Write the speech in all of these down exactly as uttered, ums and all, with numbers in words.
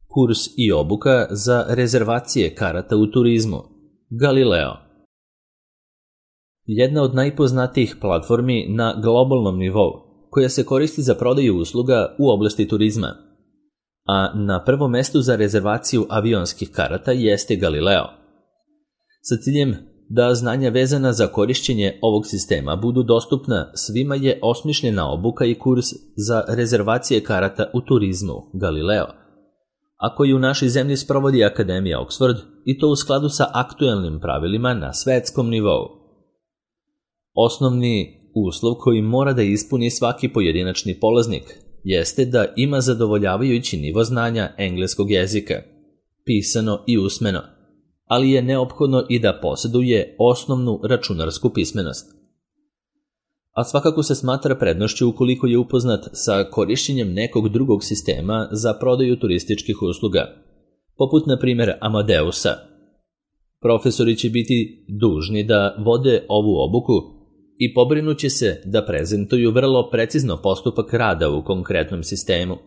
Kurs i obuka za rezervacije karata u turizmu. Galileo. Jedna od najpoznatijih platformi na globalnom nivou, koja se koristi za prodaju usluga u oblasti turizma. A na prvom mestu za rezervaciju avionskih karata jeste Galileo. Sa ciljem da znanja vezana za korišćenje ovog sistema budu dostupna, svima je osmišljena obuka i kurs za rezervacije karata u turizmu Galileo, a koji u našoj zemlji sprovodi Akademija Oxford, i to u skladu sa aktuelnim pravilima na svetskom nivou. Osnovni uslov koji mora da ispuni svaki pojedinačni polaznik jeste da ima zadovoljavajući nivo znanja engleskog jezika, pisano i usmeno, ali je neophodno i da posjeduje osnovnu računarsku pismenost. A svakako se smatra prednošću ukoliko je upoznat sa korišćenjem nekog drugog sistema za prodaju turističkih usluga, poput na primjer Amadeusa. Profesori će biti dužni da vode ovu obuku i pobrinuće se da prezentuju vrlo precizno postupak rada u konkretnom sistemu.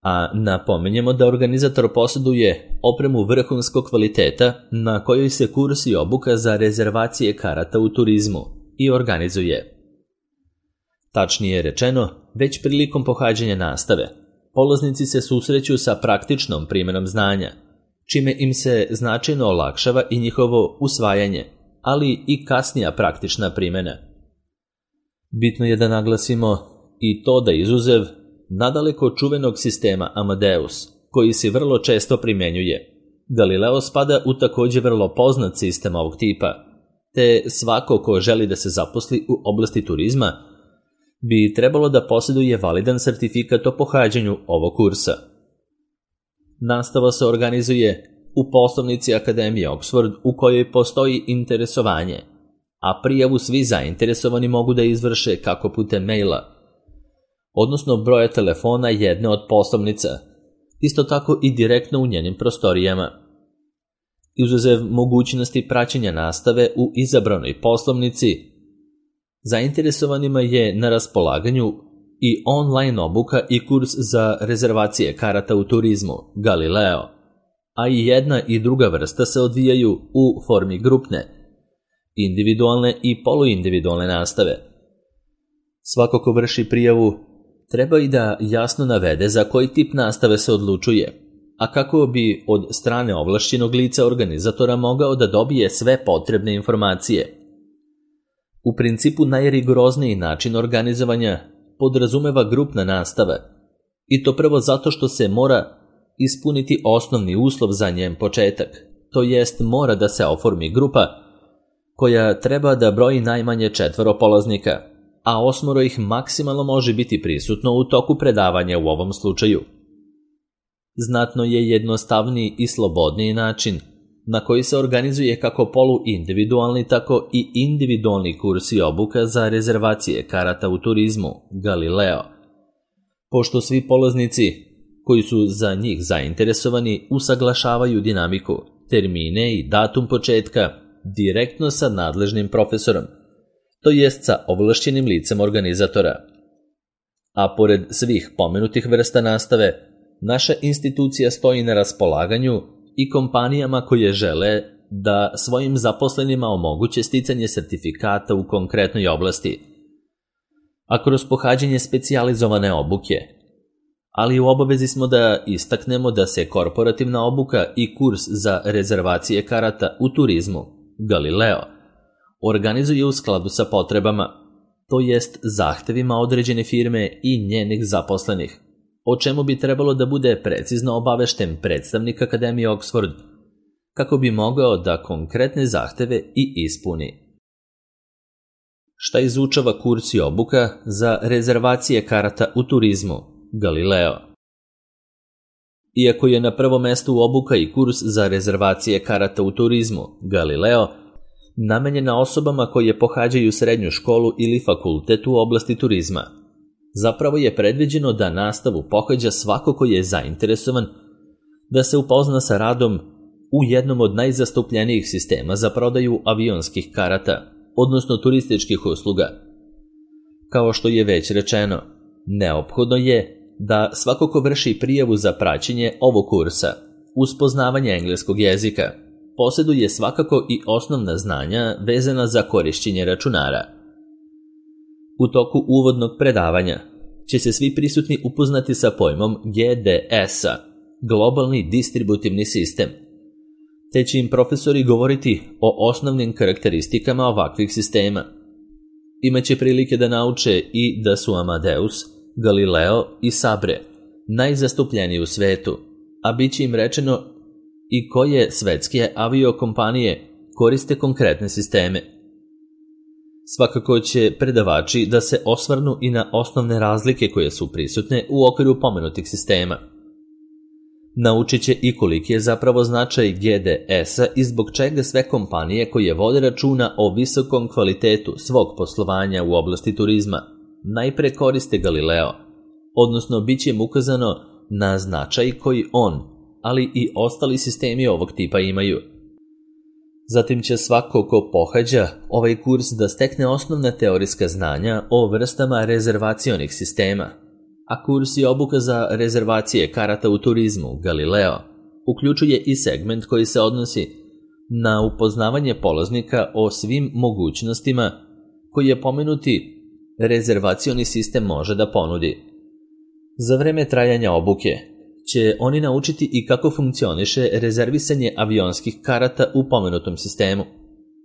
A napomenjemo da organizator posjeduje opremu vrhunskog kvaliteta na kojoj se kurs i obuka za rezervacije karata u turizmu i organizuje. Tačnije rečeno, već prilikom pohađanja nastave, polaznici se susreću sa praktičnom primjenom znanja, čime im se značajno olakšava i njihovo usvajanje, ali i kasnija praktična primjena. Bitno je da naglasimo i to da izuzev nadaleko čuvenog sistema Amadeus, koji se vrlo često primjenjuje, Galileo spada u također vrlo poznat sistem ovog tipa, te svako ko želi da se zaposli u oblasti turizma bi trebalo da posjeduje validan sertifikat o pohađanju ovog kursa. Nastava se organizuje u poslovnici Akademije Oxford u kojoj postoji interesovanje, a prijavu svi zainteresovani mogu da izvrše kako putem maila, odnosno broja telefona jedne od poslovnica, isto tako i direktno u njenim prostorijama. Izuzev mogućnosti praćenja nastave u izabranoj poslovnici, zainteresovanima je na raspolaganju i online obuka i kurs za rezervacije karata u turizmu Galileo, a i jedna i druga vrsta se odvijaju u formi grupne, individualne i poluindividualne nastave. Svako ko vrši prijavu treba i da jasno navede za koji tip nastave se odlučuje, a kako bi od strane ovlašćenog lica organizatora mogao da dobije sve potrebne informacije. U principu najrigorozniji način organizovanja podrazumeva grupna nastava, i to prvo zato što se mora ispuniti osnovni uslov za njen početak, to jest mora da se oformi grupa koja treba da broji najmanje četvoro polaznika, a osmoro ih maksimalno može biti prisutno u toku predavanja u ovom slučaju. Znatno je jednostavniji i slobodniji način na koji se organizuje kako poluindividualni, tako i individualni kurs i obuka za rezervacije karata u turizmu Galileo, pošto svi polaznici koji su za njih zainteresovani usaglašavaju dinamiku, termine i datum početka direktno sa nadležnim profesorom, to jest sa ovlašćenim licem organizatora. A pored svih pomenutih vrsta nastave, naša institucija stoji na raspolaganju i kompanijama koje žele da svojim zaposlenima omoguće sticanje sertifikata u konkretnoj oblasti, a kroz pohađanje specijalizovane obuke. Ali u obavezi smo da istaknemo da se korporativna obuka i kurs za rezervacije karata u turizmu Galileo organizuje u skladu sa potrebama, to jest zahtevima određene firme i njenih zaposlenih, o čemu bi trebalo da bude precizno obavešten predstavnik Akademije Oxford, kako bi mogao da konkretne zahteve i ispuni. Šta izučava kurs i obuka za rezervacije karata u turizmu Galileo? Iako je na prvom mestu obuka i kurs za rezervacije karata u turizmu Galileo namenjena osobama koje pohađaju srednju školu ili fakultet u oblasti turizma, zapravo je predviđeno da nastavu pohađa svako ko je zainteresovan da se upozna sa radom u jednom od najzastupljenijih sistema za prodaju avionskih karata, odnosno turističkih usluga. Kao što je već rečeno, neophodno je da svako ko vrši prijavu za praćenje ovog kursa uz poznavanje engleskog jezika posjeduje svakako i osnovna znanja vezana za korišćenje računara. U toku uvodnog predavanja će se svi prisutni upoznati sa pojmom G D S-a, globalni distributivni sistem, te će im profesori govoriti o osnovnim karakteristikama ovakvih sistema. Imaće prilike da nauče i da su Amadeus, Galileo i Sabre najzastupljeniji u svetu, a bit će im rečeno i koje svetske aviokompanije koriste konkretne sisteme. Svakako će predavači da se osvrnu i na osnovne razlike koje su prisutne u okviru pomenutih sistema. Naučit će i koliki je zapravo značaj G D S-a i zbog čega sve kompanije koje vode računa o visokom kvalitetu svog poslovanja u oblasti turizma najpre koriste Galileo, odnosno bit će im ukazano na značaj koji on, ali i ostali sistemi ovog tipa imaju. Zatim će svako ko pohađa ovaj kurs da stekne osnovna teorijska znanja o vrstama rezervacionih sistema, a kurs i obuka za rezervacije karata u turizmu Galileo uključuje i segment koji se odnosi na upoznavanje polaznika o svim mogućnostima koje pomenuti rezervacioni sistem može da ponudi. Za vreme trajanja obuke će oni naučiti i kako funkcioniše rezervisanje avionskih karata u pomenutom sistemu,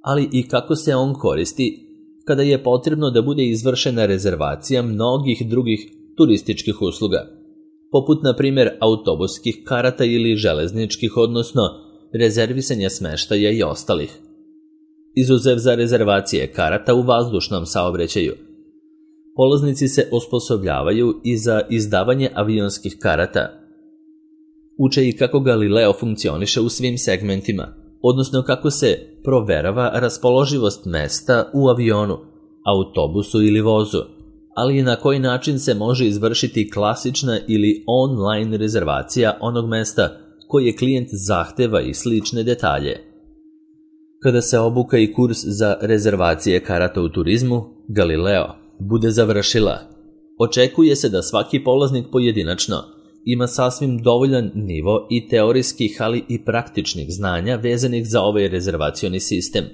ali i kako se on koristi kada je potrebno da bude izvršena rezervacija mnogih drugih turističkih usluga, poput na primjer autobuskih karata ili železničkih, odnosno rezervisanja smeštaja i ostalih. Izuzev za rezervacije karata u vazdušnom saobraćaju, polaznici se osposobljavaju i za izdavanje avionskih karata. Uče i kako Galileo funkcioniše u svim segmentima, odnosno kako se proverava raspoloživost mesta u avionu, autobusu ili vozu, ali i na koji način se može izvršiti klasična ili online rezervacija onog mesta koje klijent zahteva i slične detalje. Kada se obuka i kurs za rezervacije karata u turizmu Galileo bude završila, očekuje se da svaki polaznik pojedinačno ima sasvim dovoljan nivo i teorijskih, ali i praktičnih znanja vezanih za ovaj rezervacioni sistem,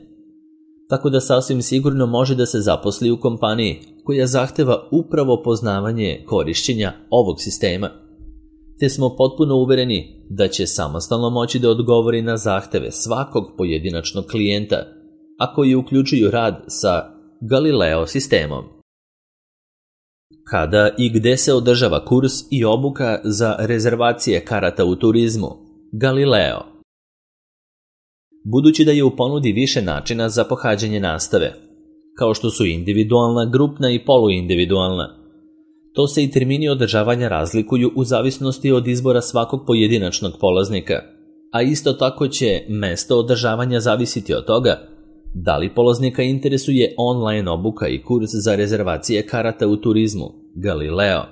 tako da sasvim sigurno može da se zaposli u kompaniji koja zahteva upravo poznavanje korišćenja ovog sistema, te smo potpuno uvereni da će samostalno moći da odgovori na zahteve svakog pojedinačnog klijenta, a koji uključuju rad sa Galileo sistemom. Kada i gde se održava kurs i obuka za rezervacije karata u turizmu Galileo? Budući da je u ponudi više načina za pohađanje nastave, kao što su individualna, grupna i poluindividualna, to se i termini održavanja razlikuju u zavisnosti od izbora svakog pojedinačnog polaznika, a isto tako će mesto održavanja zavisiti od toga da li polaznika interesuje online obuka i kurs za rezervacije karata u turizmu Galileo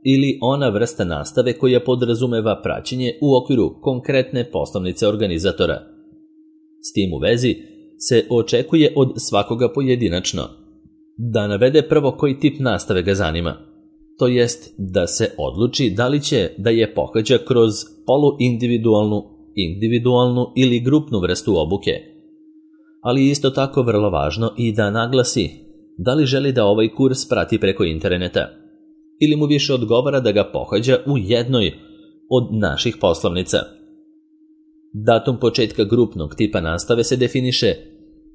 ili ona vrsta nastave koja podrazumeva praćenje u okviru konkretne poslovnice organizatora. S tim u vezi se očekuje od svakoga pojedinačno da navede prvo koji tip nastave ga zanima, to jest da se odluči da li će da je pohađa kroz poluindividualnu, individualnu ili grupnu vrstu obuke, ali isto tako vrlo važno i da naglasi da li želi da ovaj kurs prati preko interneta ili mu više odgovara da ga pohađa u jednoj od naših poslovnica. Datum početka grupnog tipa nastave se definiše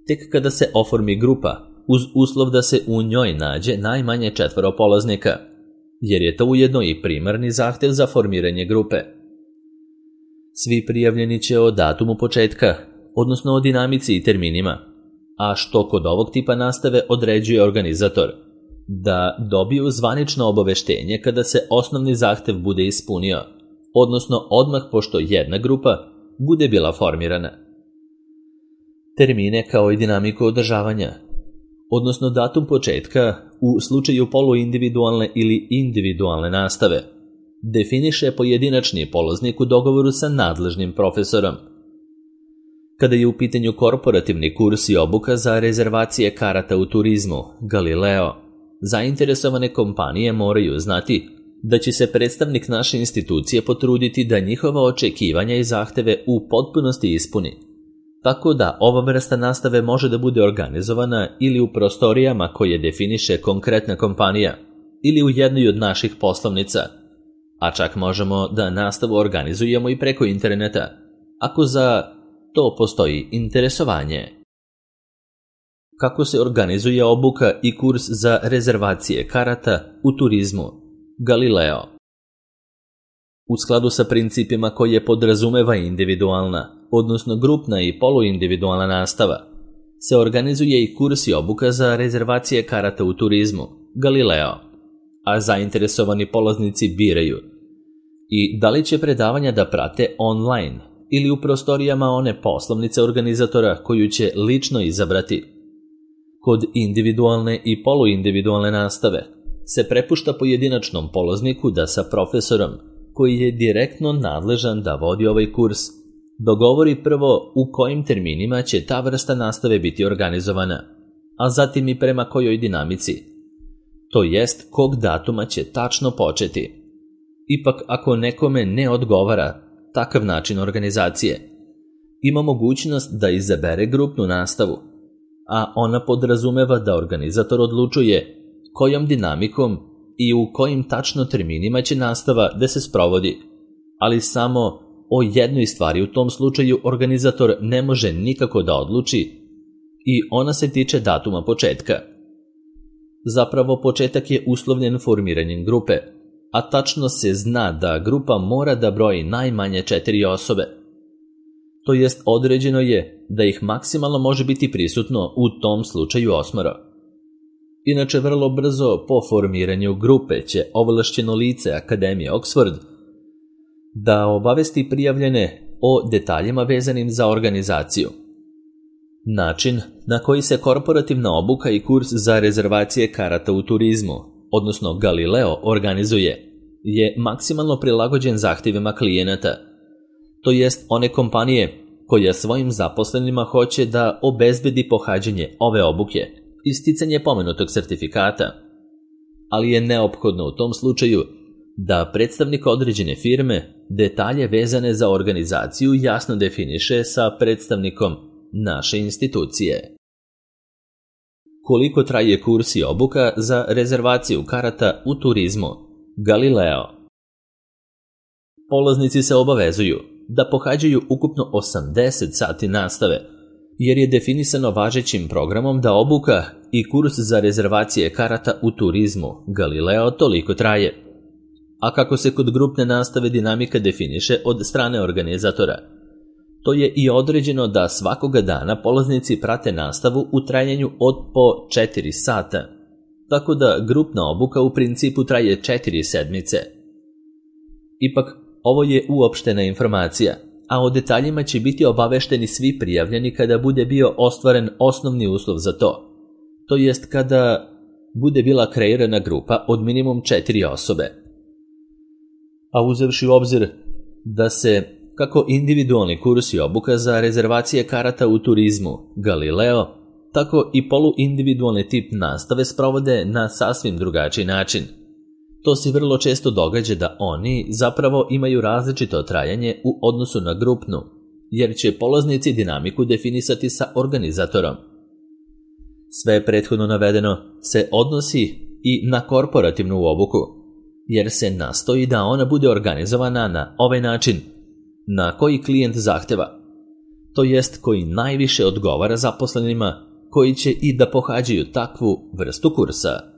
tek kada se oformi grupa uz uslov da se u njoj nađe najmanje četvoro polaznika, jer je to ujedno i primarni zahtev za formiranje grupe. Svi prijavljeni će o datumu početka, odnosno o dinamici i terminima, a što kod ovog tipa nastave određuje organizator, da dobiju zvanično obaveštenje kada se osnovni zahtev bude ispunio, odnosno odmah pošto jedna grupa bude bila formirana. Termine kao i dinamiku održavanja, odnosno datum početka u slučaju poluindividualne ili individualne nastave, definiše pojedinačni polaznik u dogovoru sa nadležnim profesorom. Kada je u pitanju korporativni kurs i obuka za rezervacije karata u turizmu Galileo, zainteresovane kompanije moraju znati da će se predstavnik naše institucije potruditi da njihova očekivanja i zahteve u potpunosti ispuni, tako da ova vrsta nastave može da bude organizovana ili u prostorijama koje definiše konkretna kompanija ili u jednoj od naših poslovnica, a čak možemo da nastavu organizujemo i preko interneta, ako za to postoji interesovanje. Kako se organizuje obuka i kurs za rezervacije karata u turizmu? Galileo. U skladu sa principima koje podrazumeva individualna, odnosno grupna i poluindividualna nastava, se organizuje i kurs i obuka za rezervacije karata u turizmu, Galileo, a zainteresovani polaznici biraju i da li će predavanja da prate online ili u prostorijama one poslovnice organizatora koju će lično izabrati. Kod individualne i poluindividualne nastave se prepušta pojedinačnom polazniku da sa profesorom, koji je direktno nadležan da vodi ovaj kurs, dogovori prvo u kojim terminima će ta vrsta nastave biti organizovana, a zatim i prema kojoj dinamici, to jest kog datuma će tačno početi. Ipak, ako nekome ne odgovara takav način organizacije, ima mogućnost da izabere grupnu nastavu, a ona podrazumeva da organizator odlučuje kojom dinamikom i u kojim tačno terminima će nastava da se sprovodi, ali samo o jednoj stvari u tom slučaju organizator ne može nikako da odluči i ona se tiče datuma početka. Zapravo početak je uslovljen formiranjem grupe, a tačno se zna da grupa mora da broji najmanje četiri osobe. To jest određeno je da ih maksimalno može biti prisutno u tom slučaju osmoro. Inače, vrlo brzo po formiranju grupe će ovlašćeno lice Akademije Oxford da obavesti prijavljene o detaljima vezanim za organizaciju. Način na koji se korporativna obuka i kurs za rezervacije karata u turizmu, odnosno Galileo, organizuje, je maksimalno prilagođen zahtjevima klijenata, to jest one kompanije koja svojim zaposlenima hoće da obezbedi pohađanje ove obuke i sticanje pomenutog sertifikata, ali je neophodno u tom slučaju da predstavnik određene firme detalje vezane za organizaciju jasno definiše sa predstavnikom naše institucije. Koliko traje kurs i obuka za rezervaciju karata u turizmu? Galileo. Polaznici se obavezuju da pohađaju ukupno osamdeset sati nastave, jer je definisano važećim programom da obuka i kurs za rezervacije karata u turizmu Galileo toliko traje. A kako se kod grupne nastave dinamika definiše od strane organizatora, to je i određeno da svakoga dana polaznici prate nastavu u trajanju od po četiri sata, tako da grupna obuka u principu traje četiri sedmice. Ipak, ovo je uopštena informacija, a o detaljima će biti obavešteni svi prijavljeni kada bude bio ostvaren osnovni uslov za to, to jest kada bude bila kreirana grupa od minimum četiri osobe. A uzevši u obzir da se kako individualni kurs i obuka za rezervacije karata u turizmu Galileo, tako i poluindividualni tip nastave sprovode na sasvim drugačiji način. To se vrlo često događa da oni zapravo imaju različito trajanje u odnosu na grupnu, jer će polaznici dinamiku definisati sa organizatorom. Sve prethodno navedeno se odnosi i na korporativnu obuku, jer se nastoji da ona bude organizovana na ovaj način na koji klijent zahteva, to jest koji najviše odgovara zaposlenima koji će i da pohađaju takvu vrstu kursa.